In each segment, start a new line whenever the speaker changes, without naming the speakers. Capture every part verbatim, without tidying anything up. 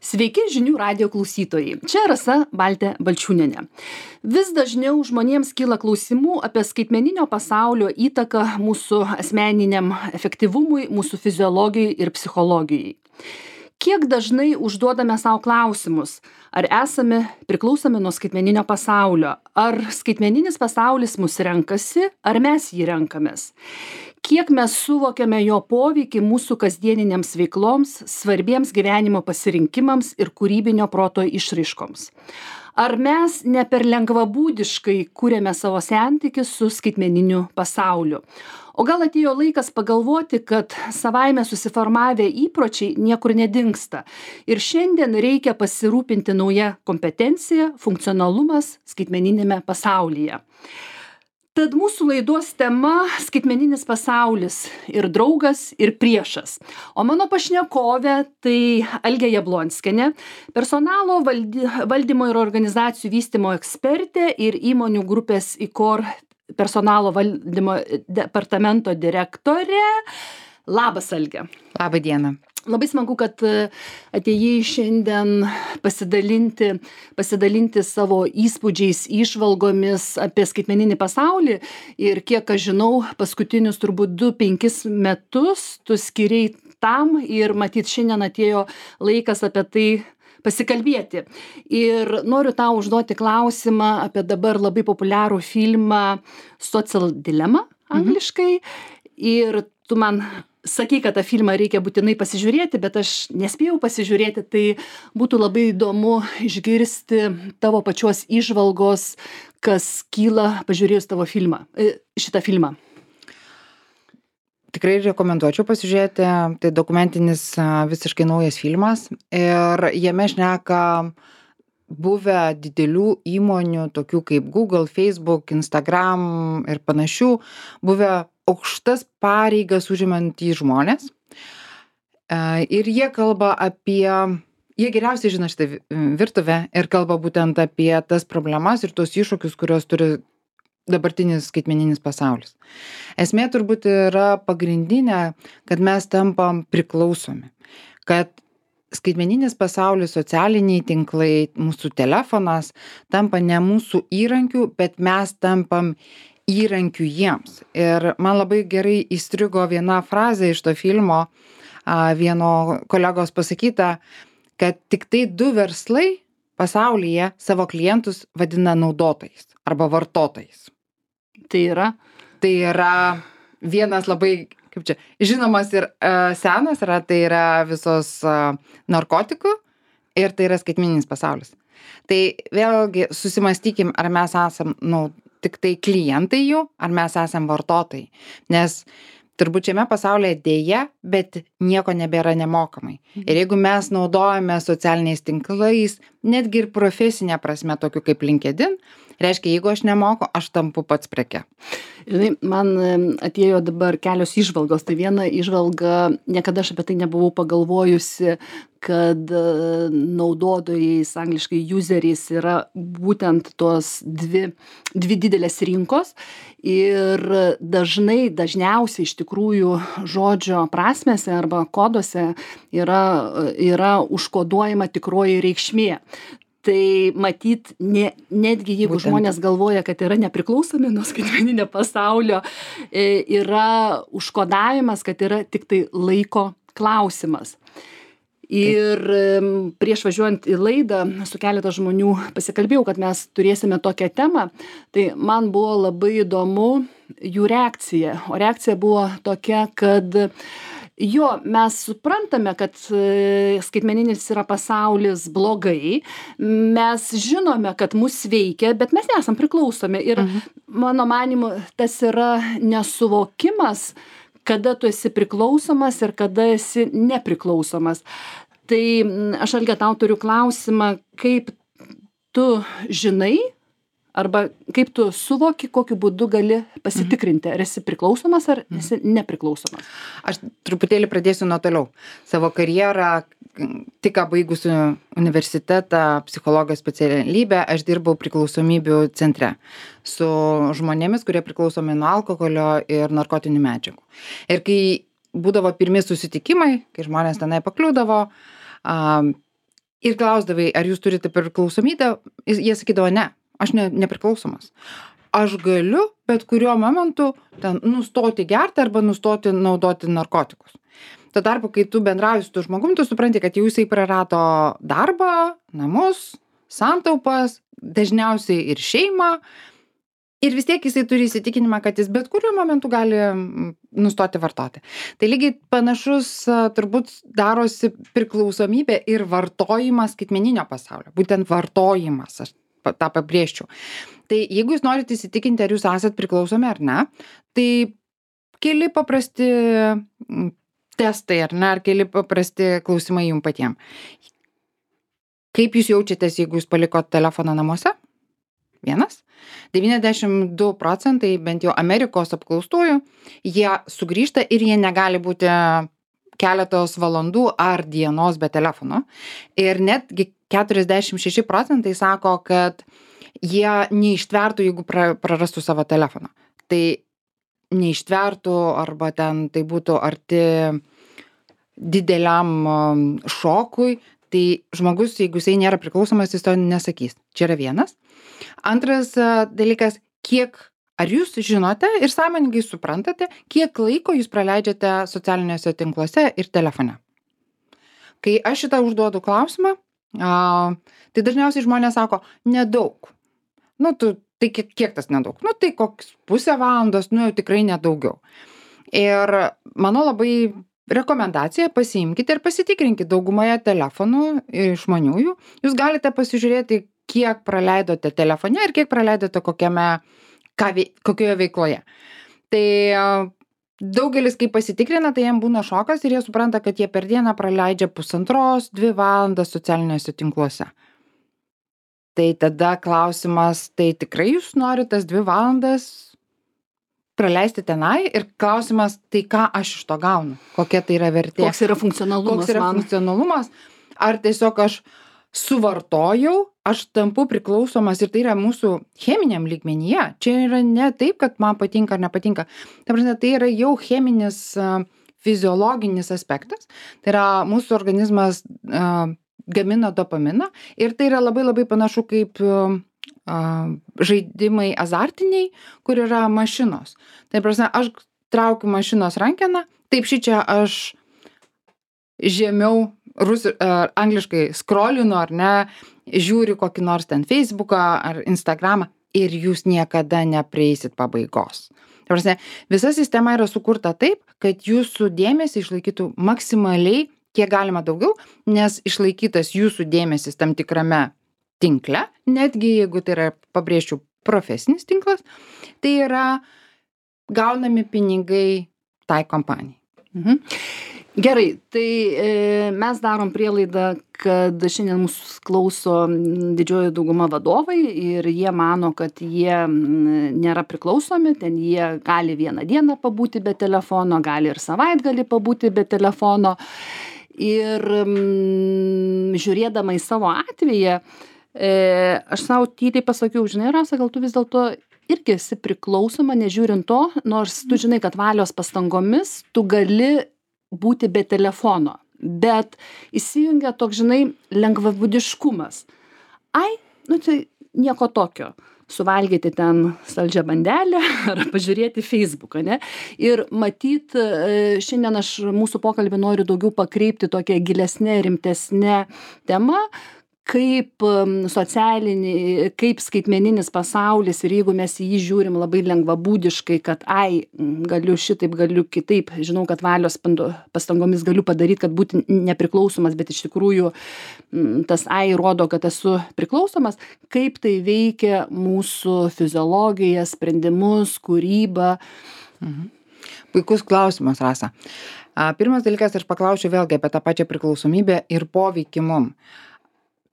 Sveiki žinių radijo klausytojai. Čia Rasa Baltė Balčiūnienė. Vis dažniau žmonėms kyla klausimų apie skaitmeninio pasaulio įtaką mūsų asmeniniam efektyvumui, mūsų fiziologijai ir psichologijai. Kiek dažnai užduodame savo klausimus, ar esame priklausomi nuo skaitmeninio pasaulio, ar skaitmeninis pasaulis mus renkasi, ar mes jį renkamės. Kiek mes suvokiame jo poveikį mūsų kasdieniniams veikloms, svarbiems gyvenimo pasirinkimams ir kūrybinio proto išraiškoms. Ar mes ne per lengvabūdiškai kūrėme savo santykį su skaitmeniniu pasauliu. O gal atėjo laikas pagalvoti, kad savaime susiformavę įpročiai niekur nedingsta. Ir šiandien reikia pasirūpinti nauja kompetencija, funkcionalumas skaitmeninėme pasaulyje. Tad mūsų laidos tema - skaitmeninis pasaulis ir draugas, ir priešas. O mano pašnekovė tai Algė Jablonskienė, personalo valdy, valdymo ir organizacijų vystymo ekspertė ir įmonių grupės ICOR personalo valdymo departamento direktorė. Labas, Algė.
Labą dieną.
Labai smagu, kad atėjai šiandien pasidalinti, pasidalinti savo įspūdžiais, įžvalgomis apie skaitmeninį pasaulį. Ir kiek aš žinau, paskutinius turbūt du penkis metus tu skiriai tam ir matyt šiandien atėjo laikas apie tai pasikalbėti. Ir noriu tau užduoti klausimą apie dabar labai populiarų filmą Social Dilemma angliškai. Mhm. Ir tu man sakai, kad tą filmą reikia būtinai pasižiūrėti, bet aš nespėjau pasižiūrėti, tai būtų labai įdomu išgirsti tavo pačios įžvalgos, kas kyla pažiūrėjus tavo filmą, šitą filmą.
Tikrai rekomenduočiau pasižiūrėti, tai dokumentinis visiškai naujas filmas ir jame šneka buvę didelių įmonių, tokių kaip Google, Facebook, Instagram ir panašių, buvę aukštas pareigas užimantys žmonės. Ir jie kalba apie, jie geriausiai žino šitą virtuvę ir kalba būtent apie tas problemas ir tos iššūkius, kurios turi dabartinis skaitmeninis pasaulis. Esmė turbūt yra pagrindinė, kad mes tampam priklausomi, kad skaitmeninis pasaulis, socialiniai tinklai, mūsų telefonas tampa ne mūsų įrankiu, bet mes tampam įrankių jiems. Ir man labai gerai įstrigo viena frazė iš to filmo, vieno kolegos pasakyta, kad tik tai du verslai pasaulyje savo klientus vadina naudotojais arba vartotojais.
Tai yra?
Tai yra vienas labai, kaip čia, žinomas ir uh, senas, yra, tai yra visos uh, narkotikų ir tai yra skaitmeninis pasaulis. Tai vėlgi susimastykim, ar mes esam, nu, tik tai klientai jų, ar mes esam vartotojai. Nes turbūt šiame pasaulyje dėja, bet nieko nebėra nemokamai. Ir jeigu mes naudojame socialiniais tinklais, netgi ir profesinė prasme, tokiu kaip LinkedIn, reiškia, jeigu aš nemoku, aš tampu pats preke.
Žinai, man atėjo dabar kelios įžvalgos. Tai viena įžvalga, niekada aš apie tai nebuvau pagalvojusi, kad naudotojais, angliškai useriais, yra būtent tos dvi, dvi didelės rinkos. Ir dažnai, dažniausiai iš tikrųjų žodžio prasmėse arba koduose yra, yra užkoduojama tikroji reikšmė. Tai matyt, ne, netgi jeigu Būtent. žmonės galvoja, kad yra nepriklausomi nuo skaitmeninio pasaulio, yra užkodavimas, kad yra tik tai laiko klausimas. Ir prieš važiuojant į laidą su keletą žmonių pasikalbėjau, kad mes turėsime tokią temą, tai man buvo labai įdomu jų reakcija. O reakcija buvo tokia, kad jo, mes suprantame, kad skaitmeninis yra pasaulis blogai, mes žinome, kad mus veikia, bet mes nesam priklausomi. Ir mhm. mano manimu, tas yra nesuvokimas, kada tu esi priklausomas ir kada esi nepriklausomas. Tai aš, Algė, tau turiu klausimą, kaip tu žinai, arba kaip tu suvoki, kokiu būdu gali pasitikrinti, ar esi priklausomas, ar esi nepriklausomas.
Aš truputėlį pradėsiu nuo toliau. Savo karjerą, tik ką baigusiu universitetą, psichologijos specialybę, aš dirbau priklausomybių centre su žmonėmis, kurie priklausomi nuo alkoholio ir narkotinių medžiagų. Ir kai būdavo pirmi susitikimai, kai žmonės tenai pakliūdavo, ir klausdavai, ar jūs turite priklausomybę, jie sakydavo, ne, aš ne, nepriklausomas. Aš galiu bet kuriuo momentu ten nustoti gerti arba nustoti naudoti narkotikus. Tuo tarpu, kai tu bendrauji su tu žmogum, tu supranti, kad jau jisai prarado darbą, namus, santaupas, dažniausiai ir šeimą. Ir vis tiek jisai turi įsitikinimą, kad jis bet kuriuo momentu gali nustoti vartoti. Tai lygiai panašus turbūt darosi priklausomybė ir vartojimas skaitmeninio pasaulio. Būtent vartojimas, aš tą pabrėžčiau. Tai jeigu jūs norite įsitikinti, ar jūs esat priklausomi ar ne, tai keli paprasti testai ar ne, ar keli paprasti klausimai jums patiems. Kaip jūs jaučiatės, jeigu jūs palikot telefoną namuose? Vienas. devyniasdešimt du procentai, bent jau Amerikos apklaustųjų, jie sugrįžta ir jie negali būti keletos valandų ar dienos be telefono. Ir netgi keturiasdešimt šeši procentai sako, kad jie neištvertų, jeigu pra, prarastų savo telefoną. Tai neištvertų arba ten tai būtų arti dideliam šokui, tai žmogus, jeigu jisai nėra priklausomas, jis to nesakys. Čia yra vienas. Antras dalykas, kiek, ar jūs žinote ir sąmoningai suprantate, kiek laiko jūs praleidžiate socialiniuose tinkluose ir telefone. Kai aš šitą užduodu klausimą, a, tai dažniausiai žmonės sako, nedaug. Nu, tu, tai kiek, kiek tas nedaug? Nu, tai koks pusę valandos, nu, jau tikrai nedaugiau. Ir mano labai rekomendacija, pasiimkite ir pasitikrinkite daugumoje telefonų išmaniųjų. Jūs galite pasižiūrėti, kiek praleidote telefone ir kiek praleidote kokiame, ką, kokioje veikloje. Tai daugelis, kai pasitikrina, tai jiem būna šokas ir jie supranta, kad jie per dieną praleidžia pusantros, dvi valandas socialiniuose tinkluose. Tai tada klausimas, tai tikrai jūs norite tas dvi valandas praleisti tenai ir klausimas, tai ką aš iš to gaunu, kokia tai yra vertė.
Koks yra funkcionalumas.
Koks yra
man.
funkcionalumas, ar tiesiog aš suvartojau, aš tampu priklausomas ir tai yra mūsų cheminiam lygmenyje. Čia yra ne taip, kad man patinka ar nepatinka. Ta prasme, tai yra jau cheminis, uh, fiziologinis aspektas. Tai yra mūsų organizmas uh, gamina dopaminą ir tai yra labai labai panašu kaip uh, žaidimai azartiniai, kur yra mašinos. Tai prasme, aš traukiu mašinos rankeną, taip šičia aš žemiau rusi, uh, angliškai scrollinu ar ne, žiūriu kokį nors ten Facebooką ar Instagramą ir jūs niekada neprieisit pabaigos. Tai prasme, visa sistema yra sukurta taip, kad jūsų dėmesį išlaikytų maksimaliai, kiek galima daugiau, nes išlaikytas jūsų dėmesis tam tikrame tinkle, netgi jeigu tai yra, pabrėžčiau, profesinis tinklas, tai yra gaunami pinigai tai kompanijai.
Mhm. Gerai, tai e, mes darom prielaidą, kad šiandien mūsų klauso didžioji dauguma vadovai ir jie mano, kad jie nėra priklausomi, ten jie gali vieną dieną pabūti be telefono, gali ir savaitgalį pabūti be telefono. Ir mm, žiūrėdama į savo atveją, e, aš savo tyliai pasakiau, žinai, Rasa, gal tu vis dėlto irgi esi priklausoma, nežiūrint to, nors tu žinai, kad valios pastangomis tu gali būti be telefono, bet įsijungia toks, žinai, lengvabūdiškumas. Ai, nu tai nieko tokio. Suvalgyti ten saldžią bandelę ar pažiūrėti Facebooką, ne? Ir matyt, šiandien aš mūsų pokalbį noriu daugiau pakreipti tokią gilesnę, rimtesnę temą, kaip socialinį, kaip skaitmeninis pasaulis ir jeigu mes į jį žiūrim labai lengvabūdiškai, kad ai, galiu šitaip, galiu kitaip, žinau, kad valios pastangomis galiu padaryti, kad būti nepriklausomas, bet iš tikrųjų tas ai rodo, kad esu priklausomas, kaip tai veikia mūsų fiziologiją, sprendimus, kūrybą.
Mhm. Puikus klausimas, Rasa. Pirmas dalykas, aš paklausiu vėlgi apie tą pačią priklausomybę ir poveikį mum.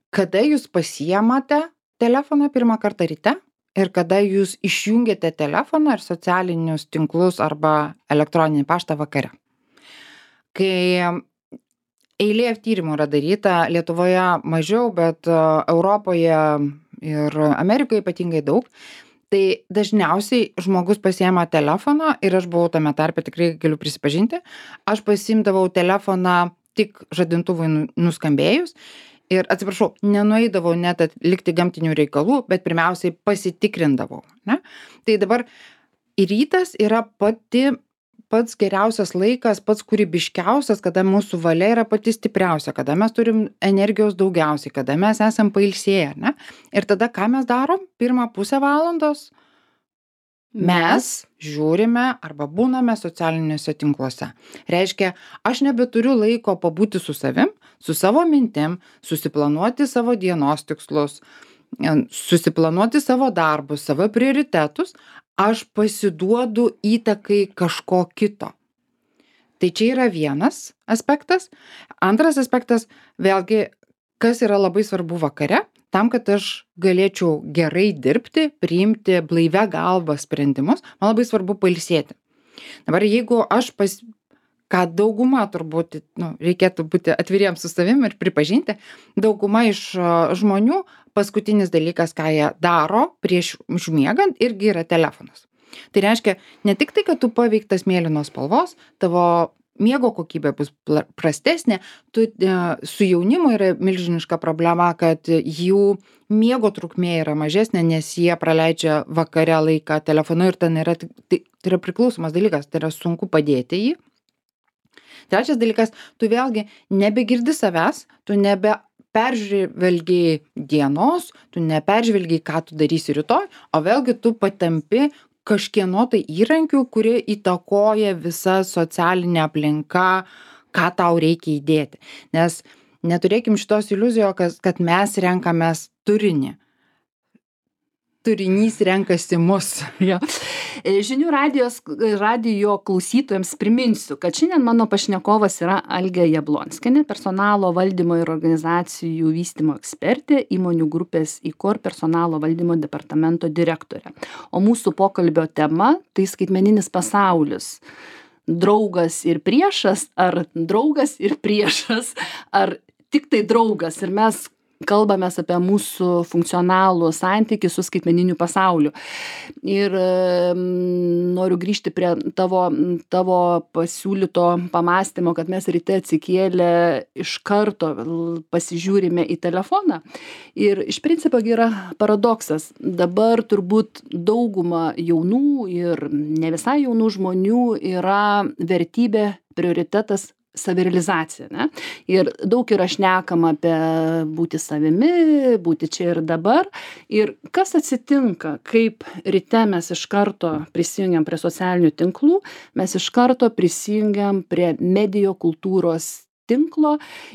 Kada jūs pasiemate telefoną pirmą kartą ryte ir kada jūs išjungiate telefoną ir socialinius tinklus arba elektroninį paštą vakare. Kai eilė tyrimų yra daryta, Lietuvoje mažiau, bet Europoje ir Amerikoje ypatingai daug, tai dažniausiai žmogus pasiema telefoną ir aš buvau tame tarpe, tikrai galiu prisipažinti, aš pasiimdavau telefoną tik žadintuvui nuskambėjus Ir atsiprašau, nenueidavau net atlikti gamtinių reikalų, bet pirmiausiai pasitikrindavau, ne? Tai dabar rytas yra pati pats geriausias laikas, pats kūrybiškiausias, kada mūsų valia yra pati stipriausia, kada mes turim energijos daugiausiai, kada mes esam pailsėję, ne? Ir tada ką mes darom? Pirmą pusę valandos mes žiūrime arba būname socialiniuose tinkluose. Reiškia, aš nebeturiu laiko pabūti su savim, su savo mintim, susiplanuoti savo dienos tikslus, susiplanuoti savo darbus, savo prioritetus, aš pasiduodu įtakai kažko kito. Tai čia yra vienas aspektas. Antras aspektas, vėlgi, kas yra labai svarbu vakare, tam, kad aš galėčiau gerai dirbti, priimti blaivia galva sprendimus, man labai svarbu pailsėti. Dabar jeigu aš pas, ką dauguma turbūt, nu, reikėtų būti atviriems su savim ir pripažinti, dauguma iš žmonių paskutinis dalykas, ką jie daro prieš užmiegant, irgi yra telefonas. Tai reiškia, ne tik tai, kad tu paveiktas mėlynos spalvos, tavo miego kokybė bus prastesnė, tu, su jaunimu yra milžiniška problema, kad jų miego trukmė yra mažesnė, nes jie praleidžia vakare laiką telefonu ir ten yra, tai, tai yra priklausomas dalykas, tai yra sunku padėti jį. Trečias dalykas, tu vėlgi nebegirdi savęs, tu nebe peržvelgiai dienos, tu neperžvelgiai, ką tu darysi rytoj, o vėlgi tu patampi kažkieno tai įrankių, kurie įtakoja visa socialinė aplinka, ką tau reikia įdėti. Nes neturėkim šitos iliuzijos, kad mes renkamės turinį. Turinys renkasi mus.
Ja. Žinių radijos, radijo klausytojams priminsiu, kad šiandien mano pašnekovas yra Algė Jablonskienė, personalo valdymo ir organizacijų vystymo ekspertė, įmonių grupės IKOR personalo valdymo departamento direktorė. O mūsų pokalbio tema - tai skaitmeninis pasaulis. Draugas ir priešas, ar draugas ir priešas, ar tik tai draugas. Ir mes kalbamės apie mūsų funkcionalų santykį su skaitmeniniu pasauliu. Ir mm, noriu grįžti prie tavo, tavo pasiūlyto pamąstymo, kad mes ryte atsikėlę iš karto pasižiūrime į telefoną. Ir iš principo yra paradoksas. Dabar turbūt dauguma jaunų ir ne visai jaunų žmonių yra vertybė, prioritetas savirealizacija, ne? Ir daug yra šnekama apie būti savimi, būti čia ir dabar. Ir kas atsitinka, kaip ryte mes iš karto prisijungiam prie socialinių tinklų, mes iš karto prisijungiam prie medijų kultūros tinklo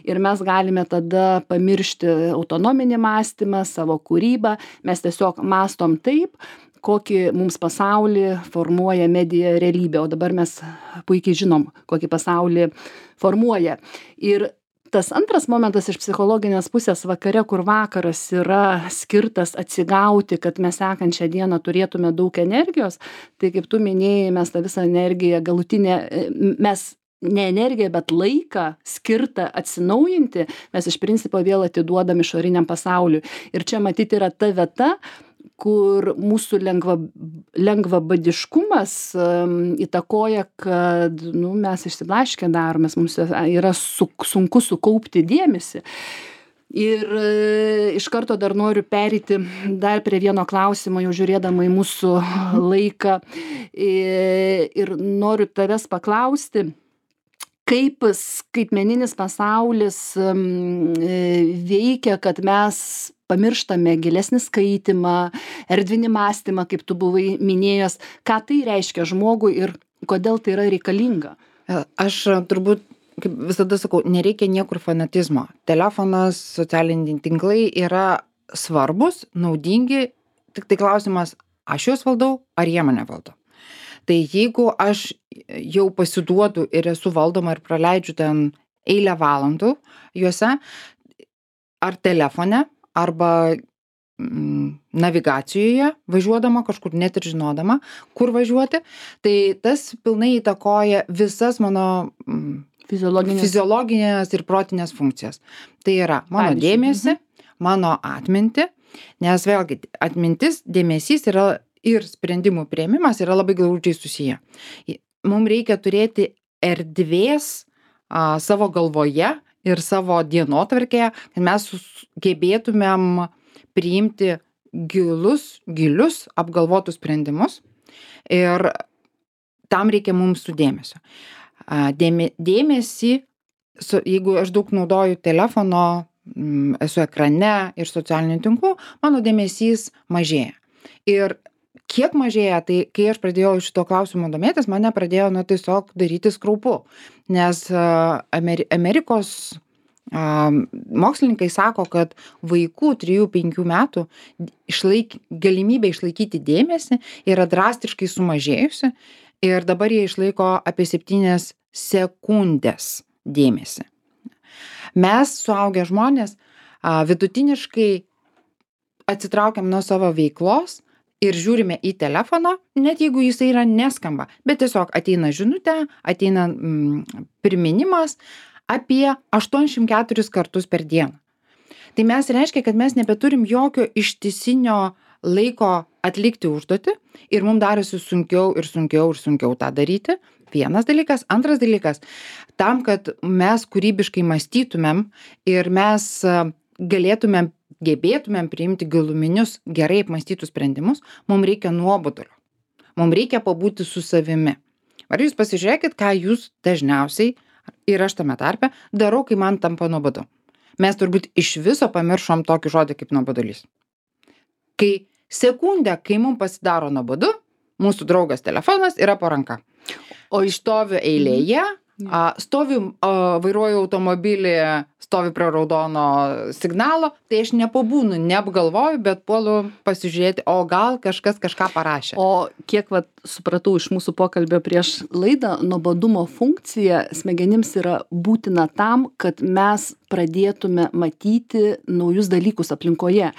ir mes galime tada pamiršti autonominį mąstymą, savo kūrybą, mes tiesiog mąstom taip, kokį mums pasaulį formuoja medija realybė, o dabar mes puikiai žinom, kokį pasaulį formuoja. Ir tas antras momentas iš psichologinės pusės vakare, kur vakaras yra skirtas atsigauti, kad mes sekančią dieną turėtume daug energijos, tai kaip tu minėjai, mes tą visą energiją galutinę, mes ne energiją, bet laiką skirtą atsinaujinti, mes iš principo vėl atiduodam išoriniam pasauliui. Ir čia matyti yra ta vieta, kur mūsų lengva, lengvabadiškumas um, įtakoja, kad nu, mes išsiblaškę daromės, mums yra su, sunku sukaupti dėmesį. Ir e, iš karto dar noriu pereiti dar prie vieno klausimo, jau žiūrėdama į mūsų laiką. E, ir noriu tavęs paklausti, kaip skaitmeninis pasaulis um, veikia, kad mes pamirštame gilesnį skaitymą, erdvinį mąstymą, kaip tu buvai minėjęs, ką tai reiškia žmogui ir kodėl tai yra reikalinga.
Aš turbūt, kaip visada sakau, nereikia niekur fanatizmo. Telefonas, socialiniai tinklai yra svarbus, naudingi, tik tai klausimas, aš juos valdau, ar jie mane valdo. Tai jeigu aš jau pasiduodu ir esu valdoma ir praleidžiu ten eilę valandų juose, ar telefone, arba mm, navigacijoje, važiuodama kažkur net ir žinodama, kur važiuoti, tai tas pilnai įtakoja visas mano mm,
fiziologinės.
fiziologinės ir protinės funkcijas. Tai yra mano
Pavyzdžiui,
dėmesį, mano atmintį, nes vėlgi atmintis, dėmesys yra ir sprendimų priėmimas yra labai glaudžiai susiję. Mums reikia turėti erdvės a, savo galvoje ir savo dienotvarkėje, kad mes gebėtumėm priimti gilus, gilius, apgalvotus sprendimus ir tam reikia mums su dėmesio. Dėme, dėmesį, su, jeigu aš daug naudoju telefono, esu ekrane ir socialinių tinklų, mano dėmesys mažėja. Ir kiek mažėja, tai kai aš pradėjau šito klausimo domėtis, mane pradėjo nu, tiesiog daryti skraupu. Nes Ameri- Amerikos a, mokslininkai sako, kad vaikų trijų penkių metų išlaik, galimybė išlaikyti dėmesį yra drastiškai sumažėjusi ir dabar jie išlaiko apie septynias sekundės dėmesį. Mes, suaugę žmonės, a, vidutiniškai atsitraukiam nuo savo veiklos ir žiūrime į telefoną, net jeigu jisai yra neskamba, bet tiesiog ateina žinutė, ateina mm, priminimas apie aštuoniasdešimt keturis kartus per dieną. Tai mes reiškia, kad mes nebeturim jokio ištisinio laiko atlikti užduotį ir mums darosi sunkiau ir sunkiau ir sunkiau tą daryti. Vienas dalykas. Antras dalykas, tam, kad mes kūrybiškai mąstytumėm ir mes galėtumėm, gebėtumėm priimti giluminius, gerai apmąstytus sprendimus, mums reikia nuobodulio. Mums reikia pabūti su savimi. Ar jūs pasižiūrėkit, ką jūs dažniausiai, ir aš tame tarpe, darau, kai man tampa nuobodu. Mes turbūt iš viso pamiršom tokį žodį kaip nuobodulys. Kai sekundę, kai mums pasidaro nuobodu, mūsų draugas telefonas yra po ranka. O išstoviu eilėje, a, stoviu, a, vairuoju automobilį, stoviu prie raudono signalo, tai aš nepabūnu, neapgalvoju, bet puolu pasižiūrėti, o gal kažkas kažką parašė.
O kiek vat, supratau iš mūsų pokalbio prieš laidą, nuobodumo funkcija smegenims yra būtina tam, kad mes pradėtume matyti naujus dalykus aplinkoje.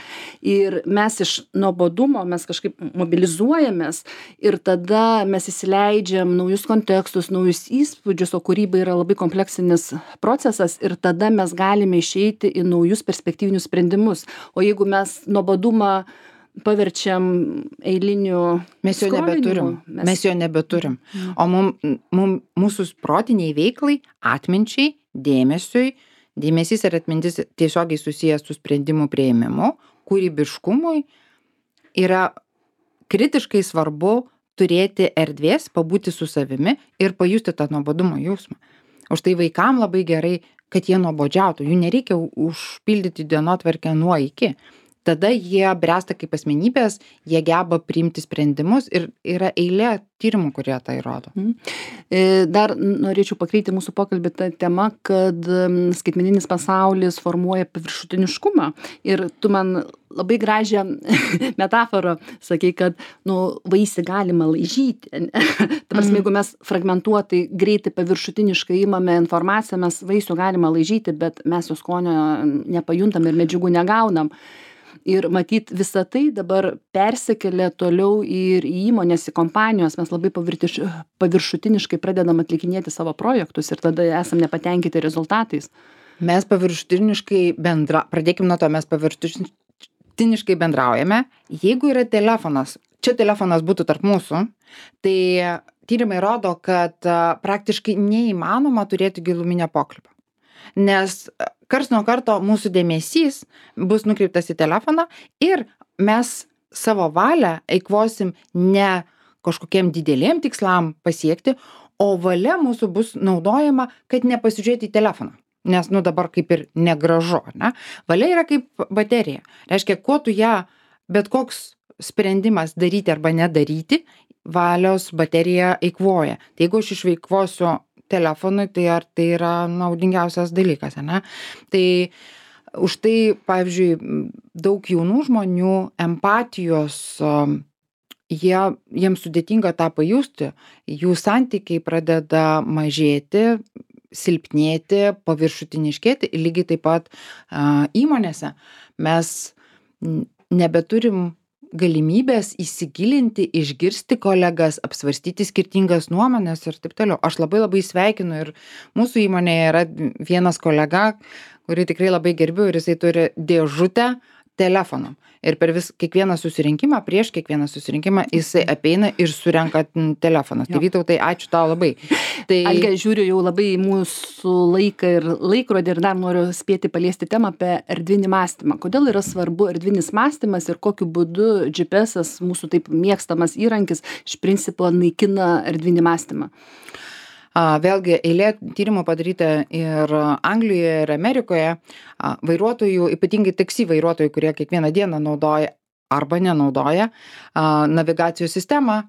Ir mes iš nuobodumo mes kažkaip mobilizuojamės ir tada mes įsileidžiam naujus kontekstus, naujus įspūdžius, o kūryba yra labai kompleksinis procesas ir tada mes galime išeiti į naujus perspektyvinius sprendimus. O jeigu mes nuobodumą paverčiam eiliniu
mes jo nebeturim. Mes... mes jo nebeturim. Mm. O mum, mum, mūsų protiniai veiklai, atminčiai, dėmesiui, dėmesys ir atmintis tiesiogiai susijęs su sprendimų priėmimu, kūrybiškumui yra kritiškai svarbu turėti erdvės, pabūti su savimi ir pajusti tą nuobodumo jausmą. Už tai vaikam labai gerai, kad jie nuobodžiautų. Jų nereikia užpildyti dienotvarkę nuo iki. Tada jie bręsta kaip asmenybės, jie geba priimti sprendimus ir yra eilė tyrimų, kurie tai rodo.
Dar norėčiau pakreipti mūsų pokalbį tą temą, kad skaitmeninis pasaulis formuoja paviršutiniškumą. Ir tu man labai gražią metaforą sakei, kad nu, vaisių galima laižyti. Ta prasme, jeigu mes fragmentuotai, greitai paviršutiniškai imame informaciją, mes vaisių galima laižyti, bet mes jo skonio nepajuntam ir medžiagų negaunam. Ir matyt, visa tai dabar persikelia toliau ir į įmonės, į kompanijos. Mes labai pavirtiš, paviršutiniškai pradedam atlikinėti savo projektus ir tada esam nepatenkinti rezultatais.
Mes paviršutiniškai bendra, pradėkim nuo to, mes paviršutiniškai bendraujame. Jeigu yra telefonas, čia telefonas būtų tarp mūsų, tai tyrimai rodo, kad praktiškai neįmanoma turėti giluminio pokalbio. Nes karts nuo karto mūsų dėmesys bus nukreiptas į telefoną ir mes savo valią eikvosim ne kažkokiem dideliem tikslam pasiekti, o valia mūsų bus naudojama, kad nepasižiūrėti į telefoną. Nes, nu, dabar kaip ir negražu, ne? Valia yra kaip baterija. Reiškia, kuo tu ją, bet koks sprendimas daryti arba nedaryti, valios baterija eikvoja. Tai jeigu aš išveikvosiu telefonui, tai ar tai yra naudingiausias dalykas, ne? Tai už tai, pavyzdžiui, daug jaunų žmonių empatijos, jie, jiems sudėtinga tą pajusti, jų santykiai pradeda mažėti, silpnėti, paviršutiniškėti, lygiai taip pat a, įmonėse. Mes nebeturim galimybės įsigilinti, išgirsti kolegas, apsvarstyti skirtingas nuomonės ir taip toliau. Aš labai labai sveikinu ir mūsų įmonėje yra vienas kolega, kurį tikrai labai gerbiu ir jisai turi dėžutę telefonam. Ir per vis kiekvieną susirinkimą, prieš kiekvieną susirinkimą jisai apeina ir surenka telefoną. Tai Vytautai, ačiū tau labai. Tai
Alge, žiūriu jau labai į mūsų laiką ir laikrodį ir dar noriu spėti paliesti temą apie erdvinį mąstymą. Kodėl yra svarbu erdvinis mąstymas ir kokiu būdu G P S, mūsų taip mėgstamas įrankis, iš principo naikina erdvinį mąstymą?
A, vėlgi, eilė tyrimų padaryta ir Anglijoje, ir Amerikoje. A, vairuotojų, ypatingai taksi vairuotojų, kurie kiekvieną dieną naudoja arba nenaudoja a, navigacijos sistemą,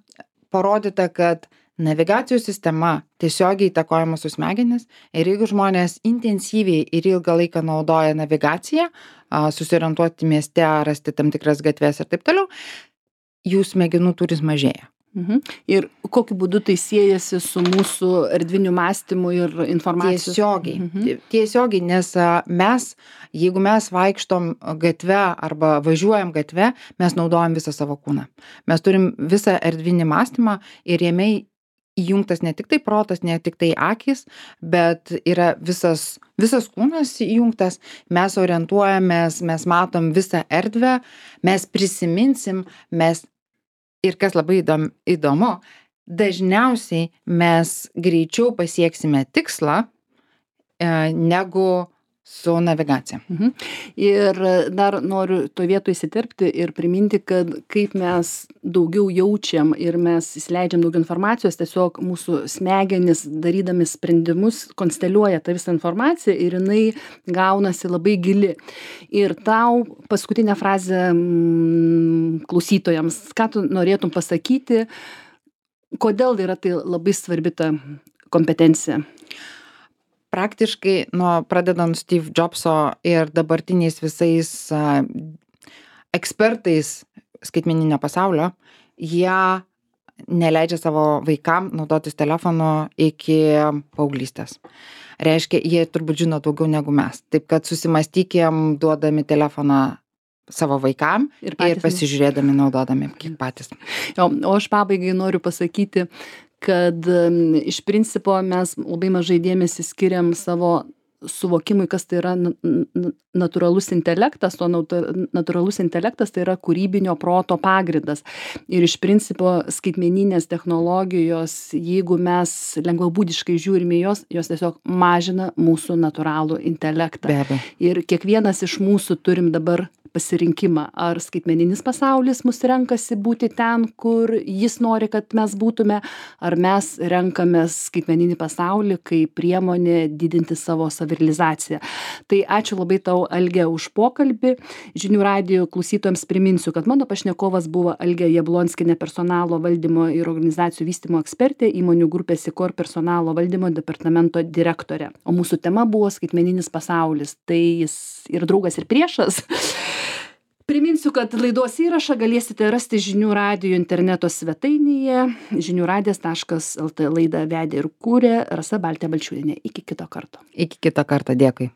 parodyta, kad navigacijos sistema tiesiogiai įtakoja mūsų smegenis ir jeigu žmonės intensyviai ir ilgą laiką naudoja navigaciją, a, susiorientuoti mieste, rasti tam tikras gatves ir taip toliau, jų smegenų turis mažėja.
Mhm. Ir kokiu būdu tai siejasi su mūsų erdviniu mąstymu ir informacijos?
Tiesiogiai.
Mhm.
Tiesiogiai, nes a, mes, jeigu mes vaikštom gatve arba važiuojam gatve, mes naudojam visą savo kūną. Mes turim visą erdvinį mąstymą ir jame įjungtas ne tik tai protas, ne tik tai akys, bet yra visas, visas kūnas įjungtas, mes orientuojamės, mes matom visą erdvę, mes prisiminsim, mes ir kas labai įdom, įdomu, dažniausiai mes greičiau pasieksime tikslą e, negu su navigacija.
Mhm. Ir dar noriu to vietoj įsiterpti ir priminti, kad kaip mes daugiau jaučiam ir mes įsileidžiam daug informacijos, tiesiog mūsų smegenys, darydami sprendimus, konsteliuoja tą visą informaciją ir jinai gaunasi labai gili. Ir tau paskutinę frazę mm, klausytojams, ką tu norėtum pasakyti, kodėl yra tai labai svarbi ta kompetencija?
Praktiškai, nuo pradedant Steve Jobso ir dabartiniais visais a, ekspertais skaitmeninio pasaulio, jie neleidžia savo vaikam naudotis telefonu iki paauglystės. Reiškia, jie turbūt žino daugiau negu mes. Taip kad susimastykim duodami telefoną savo vaikam ir, ir pasižiūrėdami, naudodami kiek patys.
Jo, o aš pabaigai noriu pasakyti, kad iš principo mes labai mažai dėmesį skiriam savo suvokimui, kas tai yra natūralus intelektas, o natūralus intelektas tai yra kūrybinio proto pagrindas. Ir iš principo skaitmeninės technologijos, jeigu mes lengvabūdiškai žiūrime jos, jos tiesiog mažina mūsų natūralų intelektą.
Be abejo.
Ir kiekvienas iš mūsų turim dabar pasirinkimą, ar skaitmeninis pasaulis mus renkasi būti ten, kur jis nori, kad mes būtume, ar mes renkamės skaitmeninį pasaulį kaip priemonė didinti savo savirealizaciją. Tai ačiū labai tau, Alge, už pokalbį. Žinių radijo klausytojams priminsiu, kad mano pašnekovas buvo Alge Jablonskienė, personalo valdymo ir organizacijų vystymo ekspertė, įmonių grupės Sikor personalo valdymo departamento direktorė. O mūsų tema buvo skaitmeninis pasaulis. Tai jis ir draugas, ir priešas. Priminsiu, kad laidos įrašą galėsite rasti žinių radijo interneto svetainėje žinių radijas taškas el tė. Laidą vedė ir kūrė Rasa Baltė Balčiūnienė. Iki kito karto.
Iki kito karto, dėkui.